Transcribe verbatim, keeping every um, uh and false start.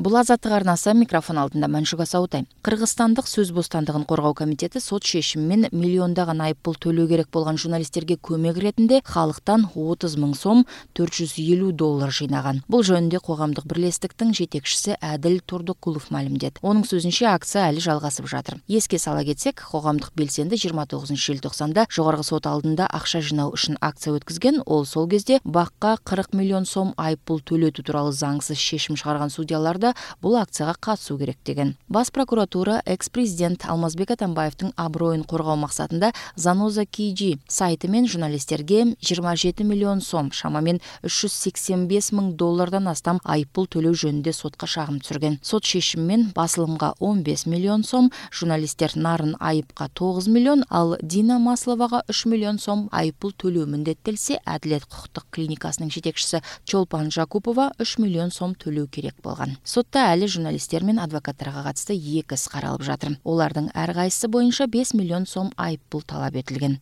Бул Азаттык арнасы, микрофон алдында Маншук Асаутай. Кыргызстандык сөз бостандыгын коргоо комитети сот шешими менен миллиондаган айыппул төлөө керек болгон журналисттерге көмөк иретинде халыктан отуз миң сом төрт жүз элүү доллар жыйнаган. Бул жөнүндө коомдук бирлестиктин жетекчиси Адил Турдукулов маалимдеді. Онун сөзүнчө, акция али жалгасып жатыр. Эске сала кетсек, коомдук белсенди жыйырма тогузунчу желтоқсанда жогорку сот алдында акча жыйноо үчүн акция өткөзгөн. Ол сол кезде бакка кырк миллион сом айыппул төлөтүү тууралуу заңсыз шешим чыгарган судьялар бул акцияга катышуу керек деген. Бас прокуратура экс-президент Алмазбек Атамбаевдин аброюн коргоо максатында Заноза Кийджи сайты менен журналисттерге жыйырма жети миллион сом, шамамен үч жүз сексен беш миң доллардан астам айыппул төлөө жөнүндө сотко шагым түзүлгөн. Сот шешими менен басылымга он беш миллион сом, журналисттер Нарын Айыпка тогуз миллион, ал Дина Масловага үч миллион сом айыппул төлөө міндеттелсе, Адилет кукуктук клиникасынын жетекчиси Чолпан Жакупова үч миллион сом төлөө керек болгон. Сотта али журналисттер менен адвокаттарга катысты эки іс каралып жатыр. Олардын ар кайсысы боюнча беш миллион сом айыппул талап этилген.